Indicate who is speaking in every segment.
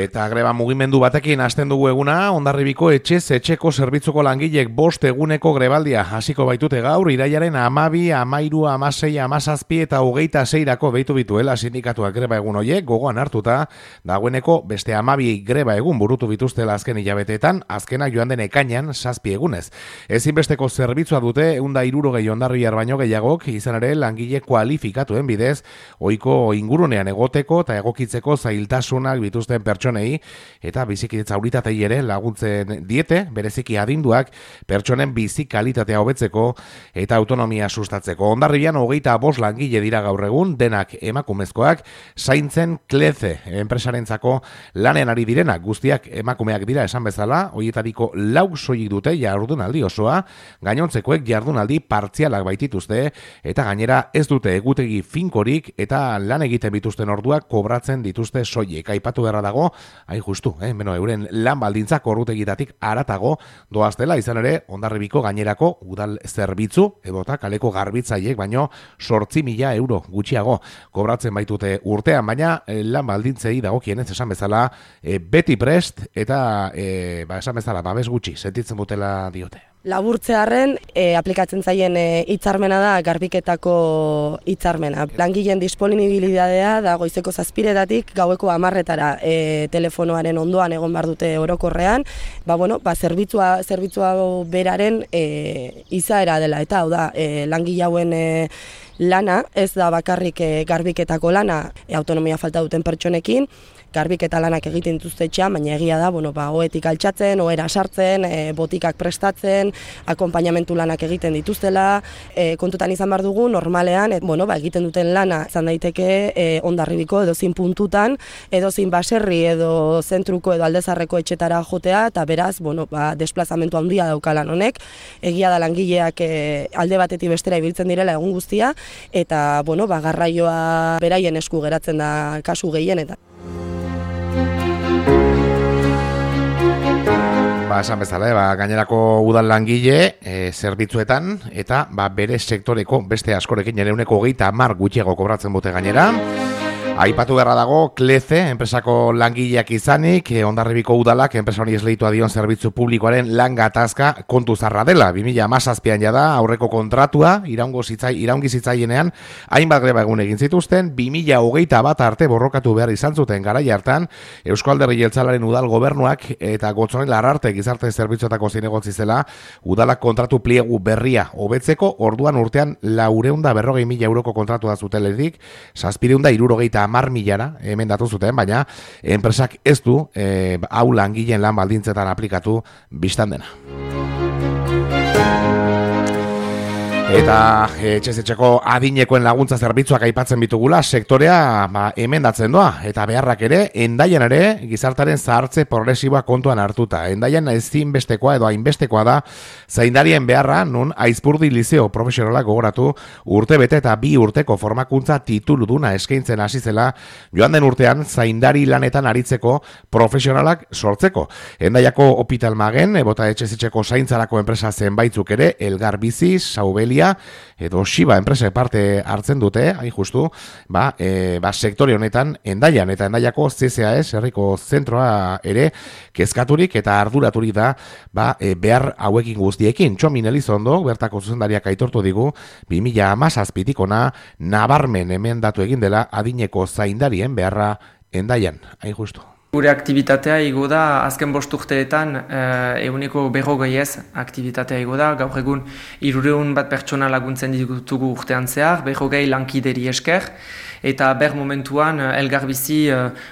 Speaker 1: Eta greba mugimendu batekin hasten dugu eguna, Hondarribiko etxeko zerbitzuko langilek 5 eguneko grebaldia hasiko baitute gaur, irailaren 12, 13, 16, 17 eta 26 beitu bituela sindikatuak greba egun horiek gogoan hartuta, dagoeneko beste 12 greba egun burutu bituztela azken hilabeteetan, azkenak joan den ekainean 7 egunez. Ezinbesteko zerbitzua dute 160 hondarribiar baino gehiagok, izan ere langile kualifikatuen bidez, ohiko ingurunean egoteko eta egokitzeko zailtasunak bituzten pertsonei eta bizikidetza unitatei ere laguntzen diete, bereziki adinduak pertsonen bizi kalitatea hobetzeko eta autonomia sustatzeko. Hondarribian 25 langile dira gaur egun, denak emakumezkoak, zaintzen Kleze enpresarentzako lanean ari direnak, guztiak emakumeak dira esan bezala, hoietariko 4 soilik dute jardunaldi osoa, gainontzekoek jardunaldi partzialak baitituzte eta gainera ez dute egutegi finkorik eta lan egiten bituzten orduak kobratzen dituzte soilik. Aipatu beharra dago, hain justu, euren lan baldintzak ordutegitatik haratago doaztela, izan ere Hondarribiko gainerako udal zerbitzu edota kaleko garbitzaiek baino 8.000 euro gutxiago kobratzen baitute urtean, baina lan baldintzei dagokienez esan bezala beti prest eta esan bezala babes gutxi sentitzen dutela diote.
Speaker 2: Laburtzearren aplikatzen zaien hitzarmena da garbiketako hitzarmena. Langileen disponibilitatea da goizeko 7:00 gaueko 10:00 telefonoaren ondoan egon behar dute orokorrean. Zerbitzua beraren izaera dela eta hau da langile hauen lana ez da bakarrik garbiketako lana autonomia falta duten pertsonekin. Garbiketa lanak egiten dituzte etxean, baina egia da, ohetik altxatzen, ohera sartzen, botikak prestatzen, akonpainamentu lanak egiten dituztela, kontutan izan behar dugu, normalean, egiten duten lana izan daiteke Hondarribiko edozein puntutan, edozein baserri edo zentruko edo aldezarreko etxetara jotea, eta beraz, desplazamentu handia daukalan honek, egia da langileak alde batetik bestera ibiltzen direla egun guztia, eta garraioa beraien esku geratzen da kasu gehienetan.
Speaker 1: Esan bezala, gainerako udal langile zerbitzuetan eta bere sektoreko beste askorekin ere 30 gutxiago kobratzen dute gainera. Aipatu beharra dago, Kleze, enpresako langileak izanik, Hondarribiko udalak, enpresa honi esleitua dion zerbitzu publikoaren lan gatazka kontu zarra dela. 2017an jada, aurreko kontratua, iraungi zitzaienean, hainbat greba egun egin zituzten, 2021 arte borrokatu behar izan zuten garai hartan, Eusko Alderdi Jeltzalearen udal gobernuak eta Gotzonen Larrarte gizarte zerbitzuetako zinegotzi zela, udalak kontratu pliegu berria hobetzeko, orduan urtean 440.000 euroko kontratua zuteletik, 760.000 hemen datu zuten, baina enpresak ez du hau langileen lan baldintzetan aplikatu bistan dena. Eta etxeko adinekoen laguntza zerbitzuak aipatzen bitugula, sektorea emendatzen doa, eta beharrak ere, Hendaian ere, gizartaren zahartze progresiboa kontuan hartuta. Hendaian ezinbestekoa edo hainbestekoa da, zaindarien beharra, nun Aizpurdi Lizeo profesionalak gogoratu, urte bete eta 2 urteko formakuntza tituluduna eskaintzen hasi zela, joan den urtean, zaindari lanetan aritzeko profesionalak sortzeko. Hendaiako Hospital Magen, ebota etxeko zaintzarako enpresa zenbaitzuk ere, Elgar Bizi, Saubelia, edo Shiba enpresa parte hartzen dute, hain justu, sektore honetan Hendaian eta Hendaiako CCAS herriko zentroa ere kezkaturik eta arduraturik da behar hauekin guztiekin. Txomin Elizondo, bertako zuzendariak aitortu digu, 2017tik ona nabarmen emendatu egin dela adineko zaindarien beharra Hendaian, hain justu.
Speaker 3: Gure aktibitatea igo da, azken 5 urteetan 150 aktibitatea igo da, gaur egun 300 pertsona laguntzen ditugu urtean zehar, 120 lankideri esker, eta momentuan Elgarbizi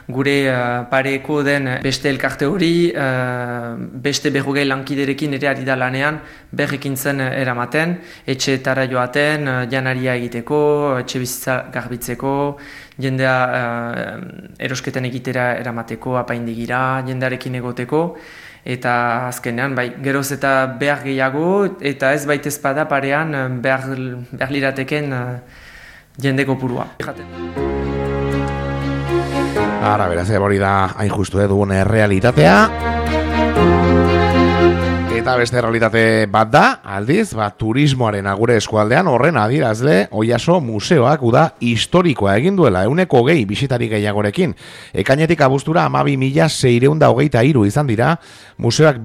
Speaker 3: gure pareko den beste elkarte hori, beste 120 lankiderekin ere ari da lanean, ekintzen eramaten, etxeetara joaten, janaria egiteko, etxe bizitza garbitzeko, jendea erosketen egitera eramateko, apaindigira, jendearekin egoteko, eta azkenean, geroz eta behar gehiago, eta ez baitez bada parean behar lirateken jende kopurua.
Speaker 1: Ara, beraz, hori da hain justu dugun realitatea. Eta beste realitate bat da, aldiz, turismoaren agure eskualdean horren adierazle Oiaso museoak uda historikoa egin duela 120 bisitari gehiagorekin. Ekainetik abuztura 12.623 izan dira, museoak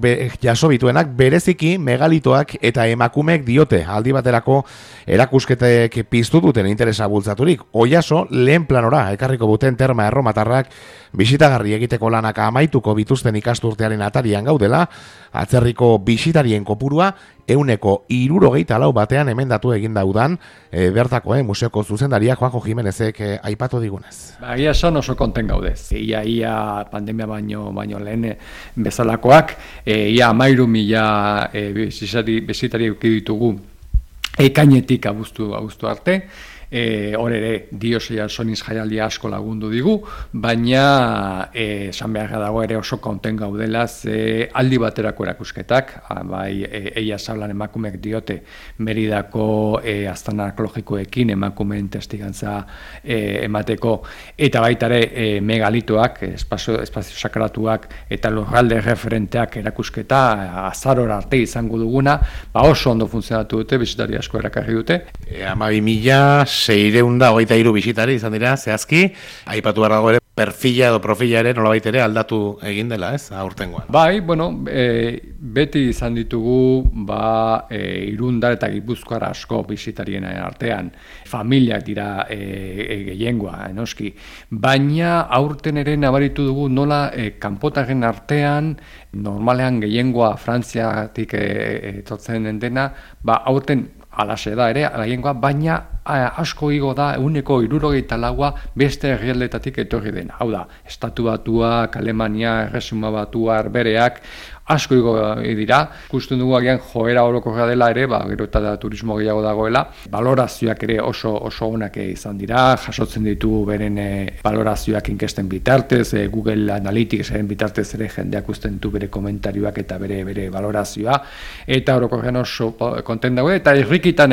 Speaker 1: jaso bituenak bereziki megalitoak eta emakumeek diote aldi baterako erakusketek piztu duten interesa bultzaturik. Oiaso lehen planora ekarriko duten terma erromatarrak bisitagarri egiteko lanak amaituko bituzten ikasturtearen atarian gaudela, atzerriko bisitarien kopurua 164 batean emendatu egin daudan bertako museoko zuzendaria Juanjo Jimenezek aipatu digunez.
Speaker 4: Ia esan oso konten gaudez. Ia pandemia baino lehen bezalakoak, ia 13.000 bisitari ditugu ekainetik abuztu arte. Hor ere Diosia Soniz jaialdia asko lagundu digu, baina esan beharra dago ere oso konten gaudela aldi baterako erakusketak, bai eia sablan emakumeek diote Meridako aztarna arkeologikoekin emakumeen testigantza emateko, eta baita ere megalitoak, espazio sakratuak eta lurralde referenteak erakusketa azarora arte izango duguna, oso ondo funtzionatu dute, bisitari asko erakarri dute.
Speaker 1: 12.623 bisitari izan dira, zehazki, aipatu behar dago ere, perfila edo profila ere nolabait ere aldatu egin dela, ez, aurtengoan.
Speaker 4: Bai, beti izan ditugu, Irundar eta Gipuzkoar asko bisitarien artean, familiak dira gehiengoa, noski, baina aurten ere nabaritu dugu nola kanpotarren artean, normalean gehiengoa Frantziatik etortzen dena, aurten alaxe da ere, gehiengoa, baina asko igo da 164 beste herrialdetatik etorri dena. Hau da, Estatu Batuak, Alemania, Erresuma Batuak, bereak, asko igo dira. Ikusten dugu agian joera orokorra dela ere, gero eta turismo gehiago dagoela. Balorazioak ere oso onak izan dira, jasotzen ditu beren balorazioak inkesten bitartez, Google Analyticsaren bitartez ere jendeak usten du bere komentarioak eta bere balorazioa, eta orokorrean oso konten dago, eta irrikitan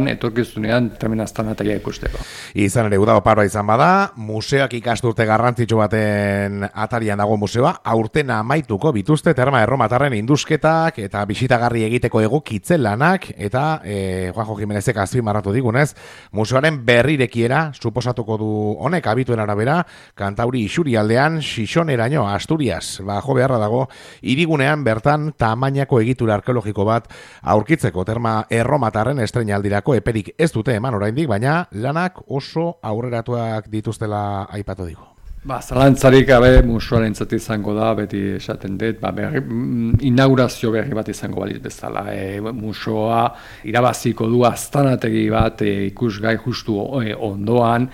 Speaker 4: etorkizunean termina aztanataia ikusteko.
Speaker 1: Izan ere, uda oparoa izan bada, museoak ikasturte garrantzitsu baten atarian dago museoa, aurten amaituko bituzte terma erromatarren indusketak eta bisitagarri egiteko egokitze lanak, eta Juanjo Jimenezek azpimarratu digunez, museoaren berrirekiera suposatuko du honek abituen arabera, Kantauri isurialdean Xixoneraino, Asturias, jo beharra dago, hirigunean bertan tamainako egitura arkeologiko bat aurkitzeko terma erromatarren estreinaldirako eperik ez dute eman oraindik, baina lanak oso aurreratuak dituztela aipatu digu.
Speaker 4: Zalantzarik gabe museoarentzat izango da, beti esaten dut, inaugurazio berri bat izango balitz bezala. Museoa irabaziko du aztanategi bat ikusgai justu ondoan,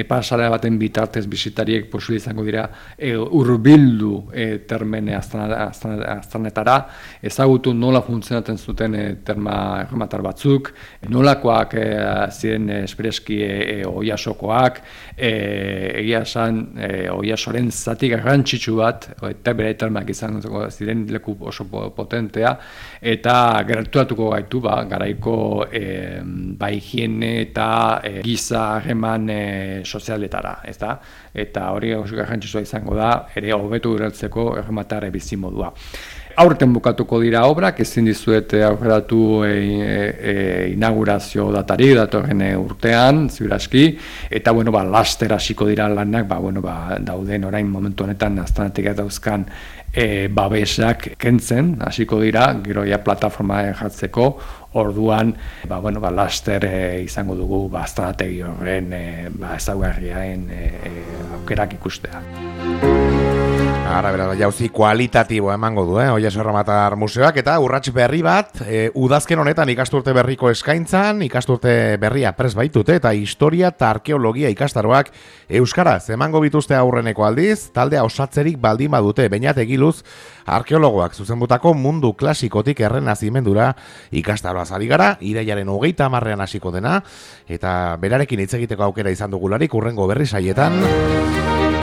Speaker 4: pasarea baten bitartez bisitariek posible izango dira hurbildu termene aztanetara, ezagutu nola funtzionatzen zuten terma erromatar batzuk, nolakoak ziren espreski Oiasokoak, egia esan Oiasoren zati garrantzitsu bat, eta bere termak izan ziren leku oso potentea, eta gertuatuko gaitu garaiko higiene eta giza harreman sozialetara, eta hori oso garrantzitsua izango da, ere hobetu ureltzeko errematarre bizimodua. Aurten bukatuko dira obrak, ezin dizuet aurreratu inaugurazio datari datorren urtean, ziuraski, eta laster hasiko dira lanak, dauden orain momentu honetan aztanatik dauzkan babesak kentzen, hasiko dira, gero plataforma jartzeko, orduan, laster izango dugu aztanategi horren ezaugarriaen aukerak ikustea.
Speaker 1: Jauzi kualitatibo emango du, Oiaso Erromatar Museoak, eta urrats berri bat, udazken honetan ikasturte berriko eskaintzan, ikasturte berria prest baitute, eta historia eta arkeologia ikastaroak euskaraz emango bituzte aurreneko aldiz, taldea osatzerik baldin badute, Beñat Egiluz, arkeologoak zuzenbutako mundu klasikotik errenazimendura ikastaroaz ari gara, irailaren 30 hasiko dena, eta berarekin hitz egiteko aukera izan dugularik urrengo berri saietan.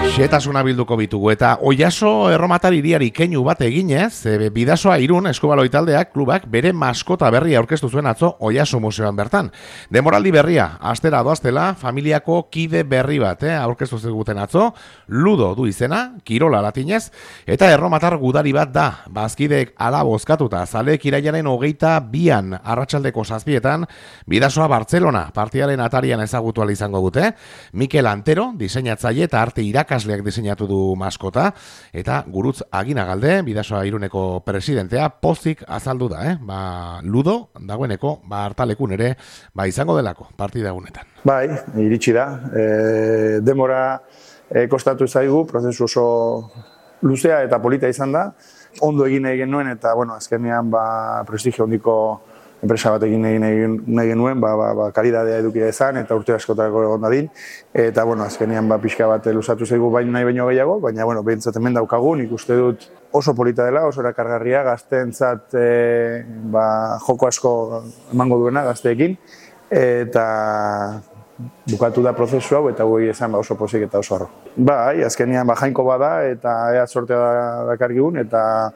Speaker 1: Xetasuna bilduko bitugu eta Oiaso erromatar hiriari keinu bat eginez, Bidasoa Irun eskubaloi taldeak klubak bere maskota berria aurkeztu zuen atzo Oiaso museoan bertan. Demoraldi berria, astera doaztela, familiako kide berri bat, aurkeztu ziguten atzo, Ludo du izena, kirola latinez, eta erromatar gudari bat da, bazkideek ala bozkatuta, zaleek irailaren 22an arratsaldeko 7etan, Bidasoa Bartzelona partiaren atarian ezagutu ahal izango dute, Mikel Antero, diseinatzaile eta arte irakasleak diseinatu du maskota, eta Gurutz Aginagalde, Bidasoa Iruneko presidentea, pozik azaldu da, Ludo, dagoeneko, hartalekun ere, izango delako, partida egunetan.
Speaker 5: Bai, iritsi da. Demora kostatu zaigu, prozesu oso luzea eta polita izan da. Ondo egin nuen eta, azkenean prestigio hondiko enpresa bat egin nahi genuen, kalidadea edukia ezan eta urte askotako egon dadin. Eta, azkenean pixka bat luzatu zaigu nahi baino gehiago, baina, behintzat hemen daukagu, nik uste dut oso polita dela, oso erakargarria, gazteentzat joko asko emango duena gazteekin, eta bukatu da prozesu hau eta goi esan oso pozik eta oso harro. Bai, azkenean jainko bada eta ea sortea dakargigun eta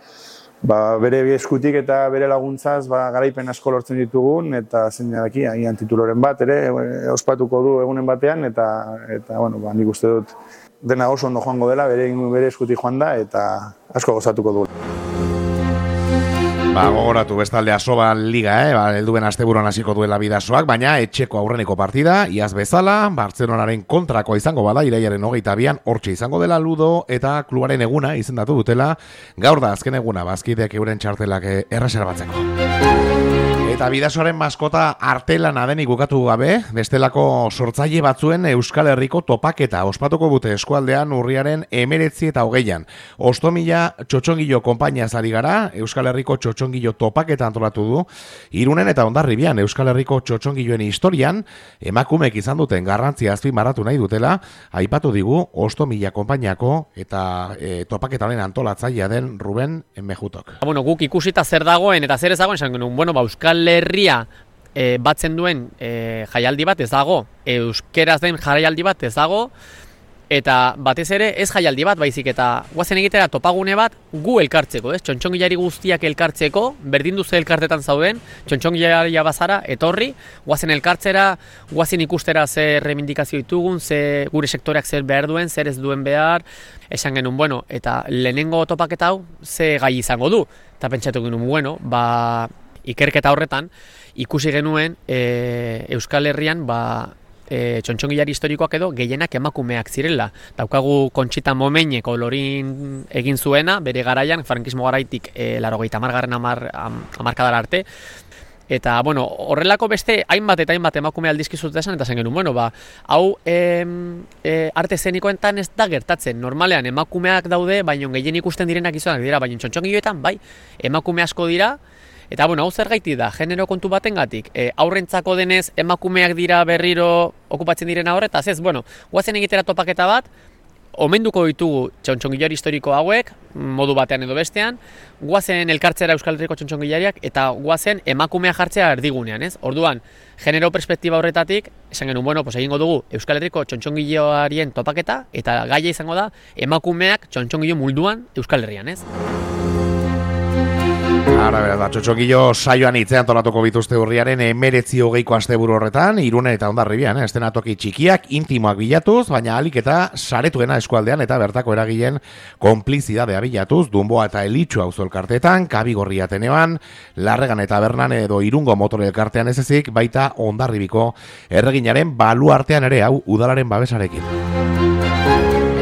Speaker 5: bere eskutik eta bere laguntzaz garaipen asko lortzen ditugun eta zein daki, agian tituloren bat ere ospatuko du egunen batean eta nik uste dut dena oso ondo joango dela, bere eskutik joan da eta asko gozatuko du.
Speaker 1: Gogoratu bestalde Asoba Liga, helduen asteburuan hasiko duela Bidasoak, baina etxeko aurreneko partida, iaz bezala, Bartzelonaren kontrako izango bada, irailaren 22an, hortxe izango dela Ludo eta klubaren eguna izendatu dutela, gaur da azken eguna, bazkideak euren txartelak erreserbatzeko. Eta Bidasoaren maskota artelana denik bukatu gabe, bestelako sortzaile batzuen Euskal Herriko topaketa ospatuko dute eskualdean urriaren 19 eta 20an. Ostomila txotxongilo konpainia zari gara, Euskal Herriko txotxongilo topaketa antolatu du, Irunen eta Hondarribian Euskal Herriko txotxongiloen historian, emakumeek izan duten garrantzia azpimarratu nahi dutela, aipatu digu Ostomila konpainiako eta topaketaren antolatzailea den Ruben Mejutok.
Speaker 6: Guk ikusita zer dagoen eta zer ez dagoen, esan genuen, Euskal Herria batzen duen jaialdi bat ez dago, euskeraz den jaialdi bat ez dago, eta batez ere ez jaialdi bat, baizik eta guazen egitera topagune bat gu elkartzeko, txontxongilari guztiak elkartzeko, berdin duze elkartetan zauden, txontxongilaria bazara, etorri, guazen elkartzera, guazen ikustera zer reivindikazio ditugun, gure sektoreak zer behar duen, zer ez duen behar, esan genuen, eta lehenengo topaketa hau ze gai izango du, eta pentsatu genuen, ikerketa horretan, ikusi genuen Euskal Herrian txontxongilari historikoak edo gehienak emakumeak zirela. Daukagu Kontxita Momenek Lorin egin zuena, bere garaian, frankismo garaitik 80. hamarkadara arte. Eta, horrelako beste hainbat eta hainbat emakume aldizkizut esan, eta zen genuen, hau arte zenikoetan ez da gertatzen. Normalean emakumeak daude, baina gehien ikusten direnak izanak dira, baina txontxongiloetan, emakume asko dira. Eta, hau zer gaiti da, genero kontu batengatik, aurrentzako denez emakumeak dira berriro okupatzen direna horretaz, ez, guazen egitera topaketa bat, omenduko ditugu txontxongilari historiko hauek, modu batean edo bestean, guazen elkartzera Euskal Herriko txontxongilariak, eta guazen emakumea jartzea erdigunean, ez? Orduan, genero perspektiba horretatik, esan genuen, egingo dugu Euskal Herriko txontxongiloarien topaketa, eta gaia izango da, emakumeak txontxongilo mulduan Euskal Herrian, ez?
Speaker 1: Ara, txotxongilo saioan hitzean tolatuko bituzte urriaren 19-20ko asteburu horretan, Irunen eta Hondarribian, estenatoki txikiak, intimoak bilatuz, baina alik eta saretuena eskualdean eta bertako eragileen konplizidadea bilatuz, Dunboa eta Elitxu auzo elkarteetan, Kabigorri Ateneoan, Larregan eta Bernan edo Irungo motore elkartean ez ezik, baita Hondarribiko erreginaren baluartean ere hau udalaren babesarekin.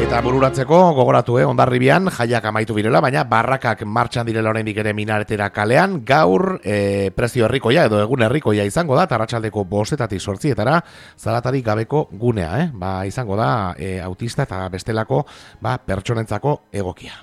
Speaker 1: Eta bururatzeko gogoratu Hondarribian jaiak amaitu birela, baina barrakak martxan direla oraindik ere Minaretera kalean, gaur prezio herrikoia edo egun herrikoia izango da, arratsaldeko 5-etatik 8etara zaratarik gabeko gunea, izango da autista eta bestelako pertsonentzako egokia.